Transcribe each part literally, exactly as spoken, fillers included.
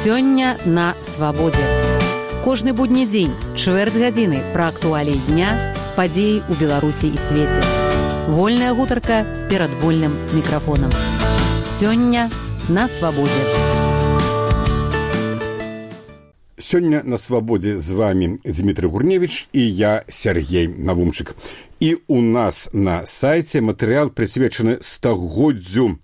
Сёння на свабодзе. Кожны будні дзень, чвэрць гадзіны пра актуаліі дня, падзеі ў Беларусі і свеце. Вольная гутарка перад вольным мікрафонам. Сёння на свабодзе. Сёння на свабодзе з вами Дмітрый Гурневіч і я, Сергей Навумчык. І у нас на сайце матэрыял прысвечаны стагоддзю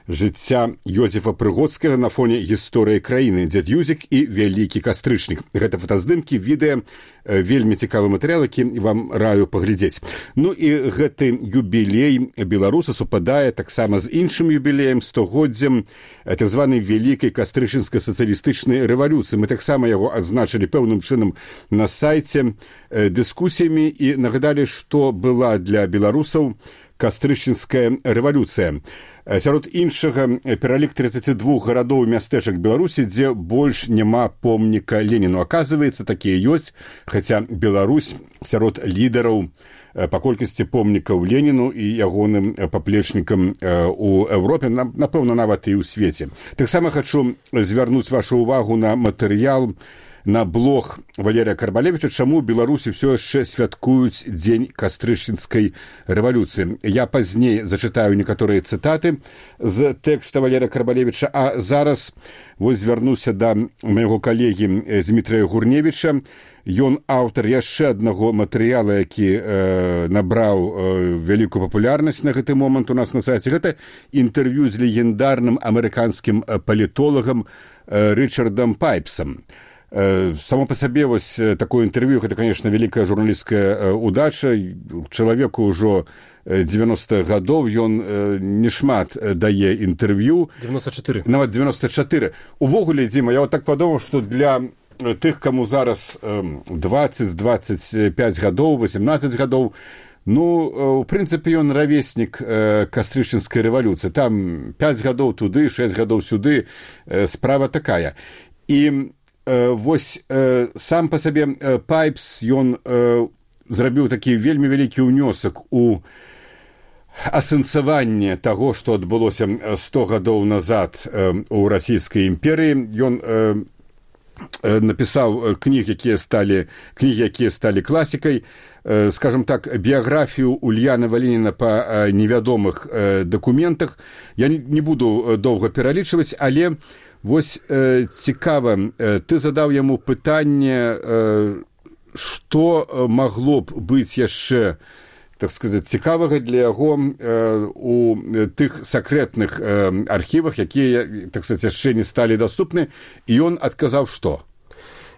жыцця Ёзефа Прыгодскага на фоне гісторыі краіны, дзед Юзік і вялікі кастрычнік. Гэта фотаздымкі, відэа, вельмі цікавы матэрыял, які вам раю паглядзець. Ну і гэты юбілей беларуса супадае таксама з іншым юбілеем, стагоддзям так званай вялікай кастрычніцкай сацыялістычнай рэвалюцыі. Мы таксама яго адзначылі пэўным чынам на сайце дыскусіямі і нагадалі, што была для беларусаў кастрычніцкая рэвалюцыя. Сярод іншага пералік тридцать два гарадоў і мястэчак Беларусі, дзе больш няма помніка Леніну. Аказваецца, такія ёсць, хаця Беларусь сярод лідараў па колькасці помнікаў Леніну і ягоным паплечнікам у Еўропе, напэўна, нават і ў свеце. Таксама хачу звярнуць вашу ўвагу на матэрыял на блог Валерія Карбалевіча, чаму Беларусі ўсё яшчэ святкуюць дзень кастрычніцкай рэвалюцыі. Я пазней зачытаю некаторыя цытаты з тэкста Валерія Карбалевіча, а зараз вось звярнуся да майго калегі Дмітрыя Гурневіча. Ён аўтар яшчэ аднаго матэрыяла, які э, набраў э, вялікую папулярнасць на гэты момант у нас на сайце. Гэта інтэрв'ю з легендарным амерыканскім палітолагам э, Рычардам Пайпсам. Само по сабе вось такое інтэрв'ю, гэта, конечно, вялікая журналісцкая удача. Чалавеку ўжо девяностых гадоў, ён не шмат дае інтэрв'ю. девяносто четыре. Нават девяносто четыре. Увогуле, Дзіма, я вот так падумаў, што для тых, каму зараз двадцать двадцать пять гадоў, восемнадцать гадоў, ну, у прынцыпе, ён равеснік кастрычніцкай рэвалюцыі. Там пять гадоў туды, шесть гадоў сюды, справа такая. І вось э, сам па сабе э, Пайпс, ён э, зрабіў такі вельмі вялікі ўнёсак у асэнсаванне таго, што адбылося сто гадоў назад э, у расійскай імперыі. Ён э, э, напісаў кніг, якія сталі кнігі, якія сталі класікай. Э, скажем так, біяграфію Ульянова Леніна па э, невядомых э, дакументах. Я не, не буду доўга пералічваць, але вось э, цікава, э, ты задаў яму пытанне, э, што магло б быць яшчэ, так сказаць, цікавага для яго э, у тых сакрэтных э, архівах, якія, так сказаць, яшчэ не сталі даступны, і ён адказаў што?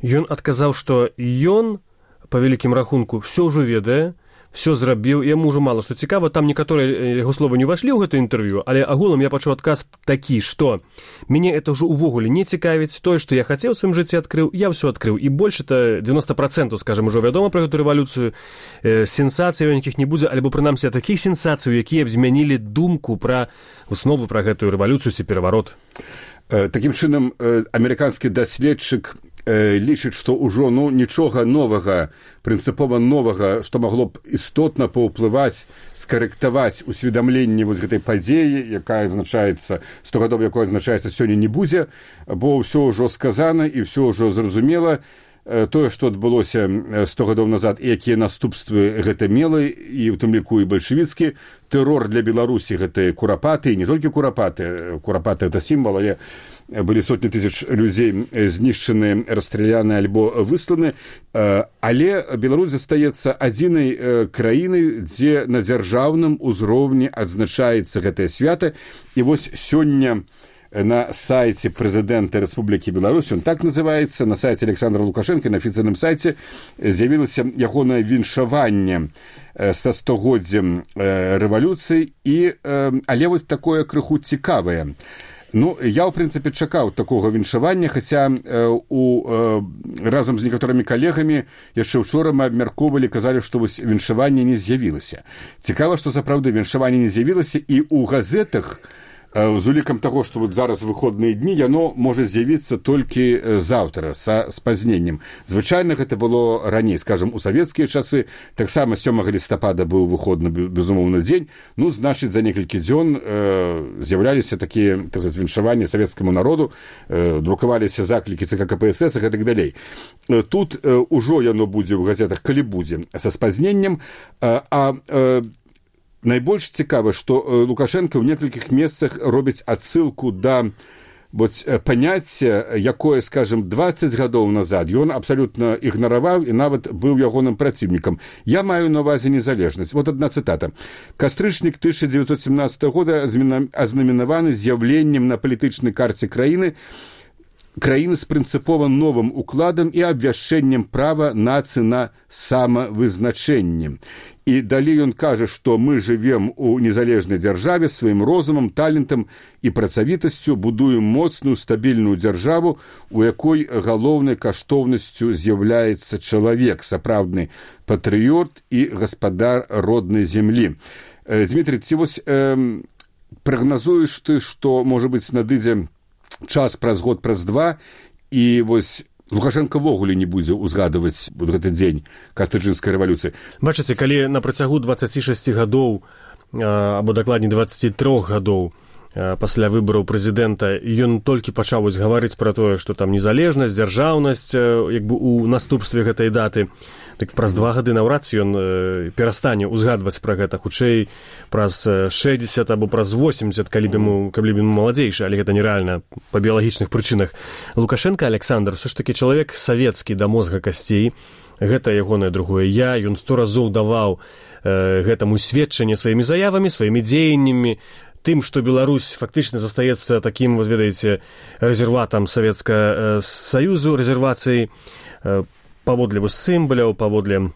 Ён адказаў, што ён, па вялікім рахунку, все ўжо ведае, все зрабіў, яму ўжо мала што цікава, там некаторыя яго словы не ўвайшлі ў гэта інтэрв'ю, але агулам я пачуў адказ такі, што мяне это ўжо ўвогуле не цікавіць, тое, што я хацеў у сваім жыцці адкрыў, я ўсё адкрыў, і больш это девяносто процентов, скажем, ужо вядома пра гэту рэвалюцыю, э, сенсацый нейкіх не будзе, альбо прынамсі такіх сенсацый, якія б змянілі думку пра выснову пра гэтую рэвалюцыю ці пераварот. Э, такім чынам, э, амерыканскі даследчык лічыць, што ўжо ну, нічога новага, прынцыпова новага, што магло б істотна паўплываць, скарэктаваць усведамленне вось гэтай падзеі, якая азначаецца, сто гадоў, якой азначаецца сёння, не будзе, бо ўсё ўжо сказана і ўсё ўжо зразумела. Тое, што адбылося сто гадоў назад, і якія наступствы гэта мела, і ў тым ліку і бальшавіцкі тэрор для Беларусі, гэта курапаты, і не толькі курапаты, курапаты это сімвал, але былі сотні тысяч людзей знішчаны, расстраляны альбо высланы, але Беларусь застаецца адзінай краінай, дзе на дзяржаўным узроўні адзначаецца гэтае свята. І вось сёння на сайце прэзідэнта Рэспублікі Беларусь, он так называецца, на сайце Александра Лукашенка, на афіцыйным сайце з'явілася ягонае віншаванне са стагоддзям рэвалюцыі, і але вось такое крыху цікавае. Ну, я, ў прынцыпе, чакаў такога віншавання, хаця э, у, э, разам з некаторымі калегамі яшчэ ўчора мы абмяркоўвалі, казалі, што вось віншаванне не з'явілася. Цікава, што сапраўды віншаванне не з'явілася, і ў газетах з улікам таго, што вот зараз выходныя дні, яно можа з'явіцца толькі заўтра са спазненнем. Звычайна гэта было раней, скажам, у савецкія часы, таксама сёмага лістапада быў выходны безумоўны дзень, ну, значыць, за некалькі дзён э, з'яўляліся такія так сказать, віншаванні савецкаму народу, э, друкаваліся заклікі ЦК КПСС і гэтак далей. Тут э, ужо яно будзе ў газетах, калі будзе, са спазненнем, э, а э, найбольш цікава, што Лукашенко ў некалькіх месцах робіць адсылку да вот, паняцця, якое, скажем, дваццаць гадоў назад ён абсалютна ігнараваў і нават быў ягоным праціўнікам. Я маю на ўвазе незалежнасць. Вот одна цытата. Кастрычнік тысяча девятьсот семнадцатого года азнаменаваны з'яўленнем на палітычнай карце краіны краіны з прынцыпова новым укладам і абвяшчэннем права нацыі на самавызначэнне. І далей ён кажа, што мы жывем у незалежнай дзяржаве сваім розумам, талентам і працавітасцю, будуем моцную стабільную дзяржаву, у якой галоўнай каштоўнасцю з'яўляецца чалавек, сапраўдны патрыёт і гаспадар роднай зямлі. Дмітрий, ці вось э, прагназуеш ты, што, можа быць, надыдзе час праз год, праз два, і вось Лукашенко ввогуле не будзе ўзгадваць вот гэты дзень кастрычніцкай рэвалюцыі. Бачыце, калі на працягу дваццаці шасці гадоў, або дакладней дваццаці трох гадоў пасля выбараў прэзідэнта, ён толькі пачаў вось гаварыць пра тое, што там незалежнасць, дзяржаўнасць, як бы у наступстве гэтай даты, так праз два гады наўрад ці ён перастане ўзгадваць пра гэта, хутчэй праз шэсцьдзесят або праз восемьдесят, калі б ему, калі б ему маладзейшы, але гэта нерэальна па біялагічных прычынах. Лукашенко Александр все ж таки чалавек савецкі да мозга касцей, гэта ягонае другое я, ён сто разоў даваў э, гэтаму сведчанне сваімі заявамі, сваімі дзеяннямі, тым, што Беларусь фактычна застаецца такім, вот ведаеце, рэзерватам Савецкага Саюзу, рэзервацыяй паводле сімваляў, паводле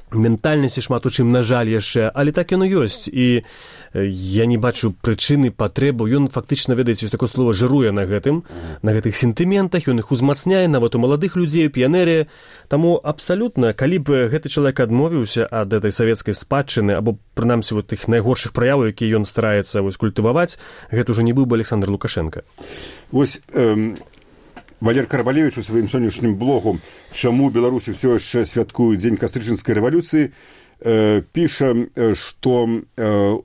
ментальнасці шмат у чым, на жаль, яшчэ, але так яно ёсць. І я не бачу прычыны, патрэбу. Ён фактычна, ведаеце, ёсць такое слово, жыруе на гэтым, на гэтых сентыментах, ён іх узмацняе, нават у маладых людзей, у піянеры. Таму абсалютна, калі б гэты чалавек адмовіўся ад этой савецкай спадчыны, або, прынамсі, вот тых найгоршых праяў, якія ён стараецца вось культываваць, гэта ўжо не быў бы Александр Лукашенко. Вось... Эм... Валер Карбалевіч у сваім сённяшнім блогу «Чаму Беларусі ўсё яшчэ святкуюць дзень кастрычніцкай рэвалюцыі» э, піша, што э,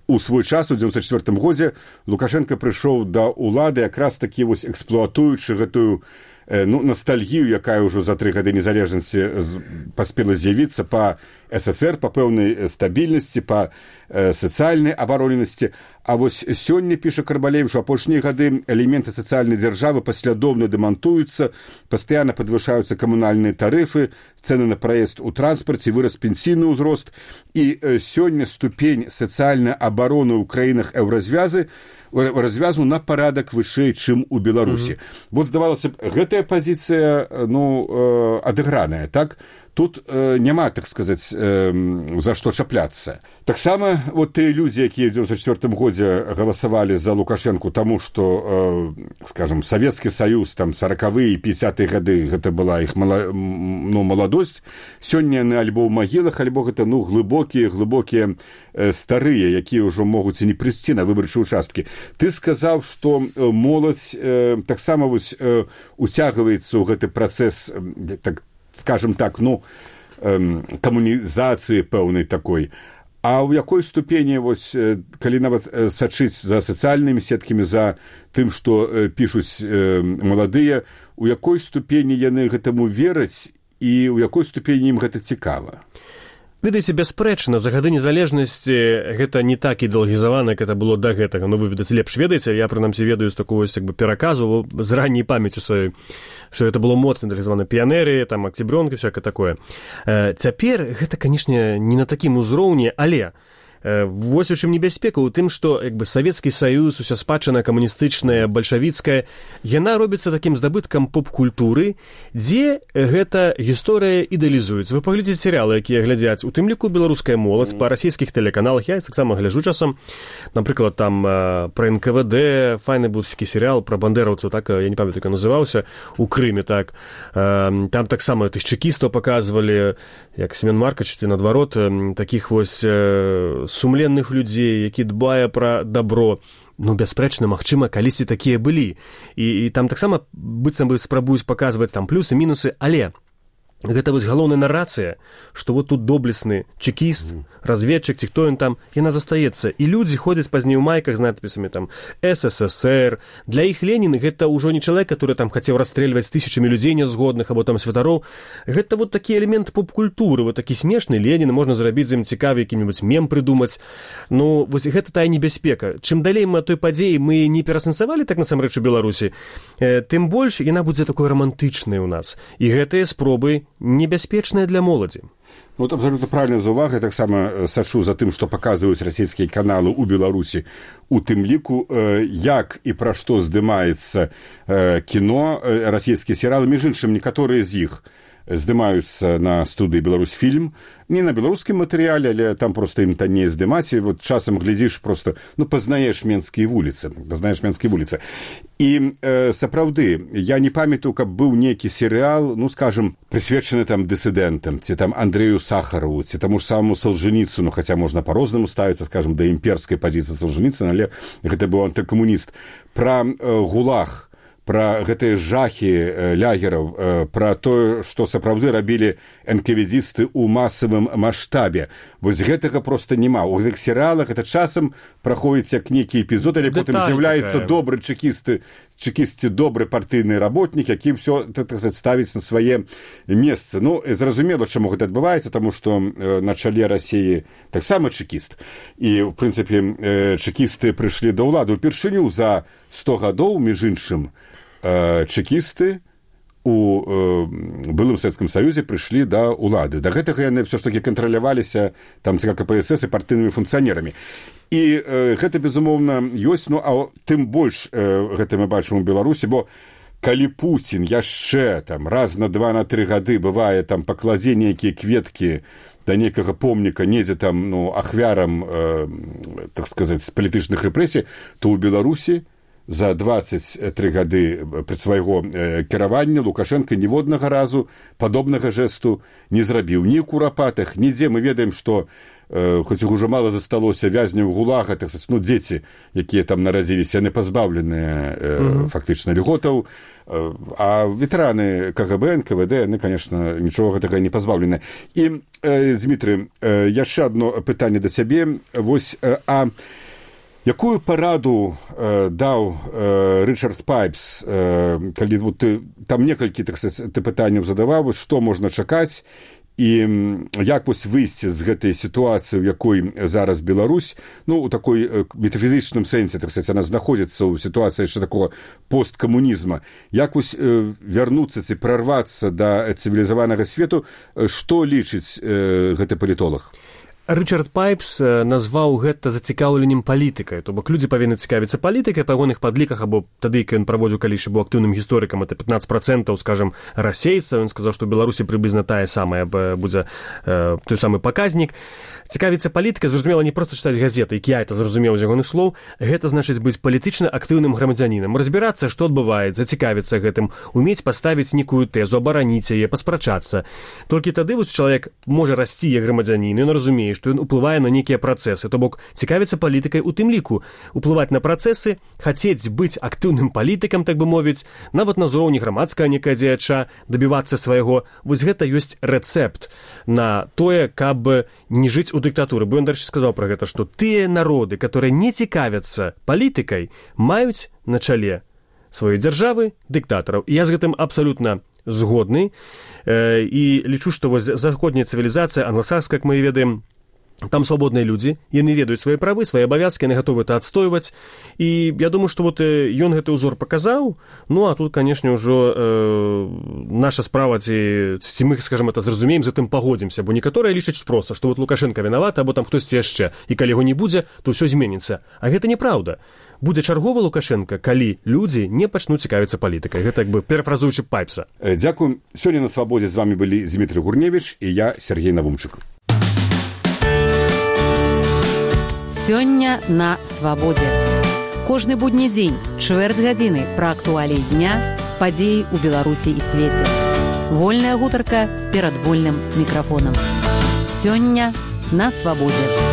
у свой час, у дзевяносто четвёртым годзе, Лукашенко прыйшоў да ўлады якраз такі вось эксплуатуючы гэтую э, ну, ностальгію, якая ўжо за тры гады незалежнасці паспела з'явіцца па СССР, па пэўнай стабільнасці, па э, сацыяльнай абароненасці. А вось сёння, піша Карбалевіч, у апошнія гады элементы сацыяльнай дзяржавы паслядоўна дэмантуюцца, пастаянна падвышаюцца камунальныя тарыфы, цэны на праезд у транспарце, вырас пенсійны ўзрост. І э, сёння ступень сацыяльнай абароны ў краінах еўразвязы развязу на парадак вышэй, чым у Беларусі. Mm-hmm. Вот, здавалася б, гэтая пазіцыя, ну, э, адыграная, так? Тут э, няма, так сказаць, э, за што чапляцца. Таксама вот тыя людзі, якія ў дзевяносто четвёртым годзе галасавалі за Лукашенку, таму што, э, скажем, Савецкі Саюз, там, сорокавыя і пятидесятыя гады, гэта была іх мала, ну, маладосць, сёння яны альбо ў магілах, альбо гэта, ну, глыбокія, глыбокія э, старыя, якія ўжо могуць і не прыйсці на выбарчыя участкі. Ты сказаў, што э, моладзь э, таксама вось э, уцягваецца ў гэты працэс, э, так, скажем так, ну, эм, камунізацыі пэўнай такой. А ў якой ступені, вось, калі нават сачыць за сацыяльнымі сеткамі, за тым, што э, пішуць э, маладыя, у якой ступені яны гэтаму вераць і ў якой ступені ім гэта цікава? Ведаеце, бясспрэчна, за гады незалежнасці гэта не так ідэалагізавана, як гэта было да гэтага. Ну, вы, відаць, лепш ведаеце, я, прынамсі, ведаю з такого, як бы, пераказу з ранняй памяці сваёй, што гэта было моцна ідэалагізавана, піянеры, там, акцябрёнкі, всякае такое. Цяпер гэта, канешне, не на такім узроўні, але вось у чым небяспека, у тым, што, як бы, Савецкі Саюз, уся спадчына камуністычная, бальшавіцкая, яна робіцца такім здабыткам поп-культуры, дзе гэта гісторыя ідэалізуецца. Вы паглядзіце серыялы, якія глядзяць, у тым ліку беларуская моладзь па расійскіх тэлеканалах, я таксама гляджу часам, напрыклад, там пра эн ка вэ дэ, файны быў такі серыял пра бандераўцаў, так, я не памятаю, як ён называўся, у Крыме, так, там таксама тых чэкістаў паказвалі, як Семён Маркович, ці наадварот, такіх вось сумленных людзей, які дбае пра дабро. Ну, бясспрэчна, магчыма, калісьці такія былі. І, і там таксама быццам бы спрабуюць паказваць там плюсы, мінусы, але гэта вось галоўная нарацыя, што вот тут доблесны чекіст, mm. разведчык, ці хто ён там, яна застаецца. І людзі ходзяць пазней у майках з надпісамі там СССР. Для іх Ленін гэта ўжо не чалавек, который там хацеў расстрэльваць тысячамі людзей нязгодных або там святароў. Гэта вот такі элемент поп-культуры, вот такі смешны Ленін, можна зрабіць з ім цікавы які-небудзь мем прыдумаць. Ну, вось гэта тая небяспека. Чым далей мы ад той падзеі мы не перасэнсавалі так насамрэч у Беларусі, э, тым больш яна будзе такой рамантычнай у нас. І гэтыя спробы небяспечная для моладзі. Ну, вот абсолютно правильная заувага. Я таксама сачу за тым, што паказваюць расійскія каналы ў Беларусі. У тым ліку, э, як і пра што здымаецца э, кіно, э, расійскія серыялы, між іншым, некаторыя з іх здымаюцца на студыі «Беларусьфільм». Не на беларускім матэрыяле, але там проста ім танней здымаць. І вот часам глядзіш проста, ну, пазнаеш менскія вуліцы. Пазнаеш менскія вуліцы. І э, сапраўды, я не памятаю, каб быў нейкі серыял, ну, скажем, прысвечаны там дысідэнтам, ці там Андрэю Сахарову, ці таму ж самому Солженіцыну, хаця можна па-рознаму ставіцца, скажем, да імперскай пазіцыі Солженіцына, але гэта быў антыкамуніст. Пра э, гулаг, пра гэтыя жахі лягераў, пра тое, што сапраўды рабілі энкаведзісты ў масавым маштабе. Вось гэтага проста няма. У гэтых серыалах гэта часам праходзіць як нейкі эпізод, але потым з'яўляецца добры чекісты, чекісці добры партыйны работнік, які ўсё, так сказаць, ставіць на свае месцы. Ну, зразумела, чаму гэта адбываецца, таму што на чале Расіі таксама чекіст. І, в прынцыпе, чекісты прыйшлі да ўлады ўпершыню за сто гадоў, між іншым, чекісты у э, былым Савецкім Саюзе прыйшлі да ўлады. Да гэтага яны ўсё ж такі кантраляваліся там ЦК КПСС і партыйнымі функцыянерамі. І э, гэта, безумоўна, ёсць, ну, а тым больш э, гэта мы бачым у Беларусі, бо калі Пуцін яшчэ там раз на два на тры гады бывае там пакладзе нейкія кветкі да нейкага помніка недзе там, ну, ахвярам, э, так сказаць, палітычных рэпрэсій, то ў Беларусі за дваццаць тры гады пры свайго кіравання Лукашенко ніводнага разу падобнага жэсту не зрабіў. Ні ў курапатах, нідзе. Мы ведаем, што э, хоць іх ужо мала засталося вязняў гулага, так сказаць, ну, дзеці, якія там нарадзіліся, яны пазбаўленыя э, mm-hmm. фактычна льготаў, э, а ветэраны КГБ, эн ка вэ дэ, яны, конечно, нічога гэтага не пазбаўленыя. І, э, Дмітрый, э, яшчэ адно пытанне да сябе. Вось, э, а якую параду э, даў э, Рычард Пайпс, э, калі вот, ты, там некалькі так, ты пытанняў задаваў, што можна чакаць і як вось выйсці з гэтай сітуацыі, у якой зараз Беларусь, ну, у такой э, метафізічным сэнсе, так сказаць, она знаходзіцца ў сітуацыі яшчэ такого посткамунізма. Як вось э, вярнуцца ці прарвацца да цывілізаванага свету, што лічыць э, гэты палітолог? Рычард Пайпс назваў гэта зацікаўленнем палітыкай. То бок людзі павінны цікавіцца палітыкай, па ягоных падліках, або тады, калі ён праводзіў калішы быў актыўным гісторыкам, это пятнаццаць процентаў, скажем, расейцаў. Ён сказаў, што ў Беларусі прыблізна тая самая будзе э, той самы паказнік. Цікавіцца палітыкай, зразумела, не проста чытаць газеты, як я это зразумеў з ягоных слоў, гэта значыць быць палітычна актыўным грамадзянінам, разбірацца, што адбываецца, цікавіцца гэтым, умець паставіць нейкую тэзу, абараніць яе, паспрачацца. Толькі тады вось чалавек можа расці як грамадзянін, ён разумее, што ён уплывае на нейкія працэсы, то бок цікавіцца палітыкай у тым ліку, уплываць на працэсы, хацець быць актыўным палітыкам, так бы мовіць, нават на ўзроўні грамадскага некая дзеяча, дабівацца свайго. Вось гэта ёсць рэцэпт на тое, каб не жыць у дыктатуры. Бо ён, дарэчы, сказаў пра гэта, што тыя народы, которые не цікавяцца палітыкай, маюць на чале сваёй дзяржавы дыктатараў. І я з гэтым абсалютна згодны. Э, і лічу, што вось заходняя цывілізацыя, англасакская, як мы ведаем, там свабодныя людзі, яны ведаюць свае правы, свае абавязкі, яны гатовы это адстойваць. І я думаю, што вот ён гэты ўзор паказаў. Ну, а тут, канешне, ўжо э, наша справа, ці, ці мы, скажем, это зразумеем, з гэтым пагодзімся, бо некаторыя лічаць проста, што вот Лукашенко вінаваты, або там хтосьці яшчэ, і калі яго не будзе, то ўсё зменіцца. А гэта неправда. Будзе чарговы Лукашенко, калі людзі не пачнуць цікавіцца палітыкай. Гэта як бы перафразуючы Пайпса. Дзякуй. Сёння на Свабодзе з вами былі Дзмітрый Гурневіч і я, Сергей Навумчык. Сёння на Свабодзе. Кожны будні дзень, чвэрць гадзіны пра актуаліі дня, падзеі ў Беларусі і свеце. Вольная гутарка перад вольным мікрафонам. Сёння на Свабодзе.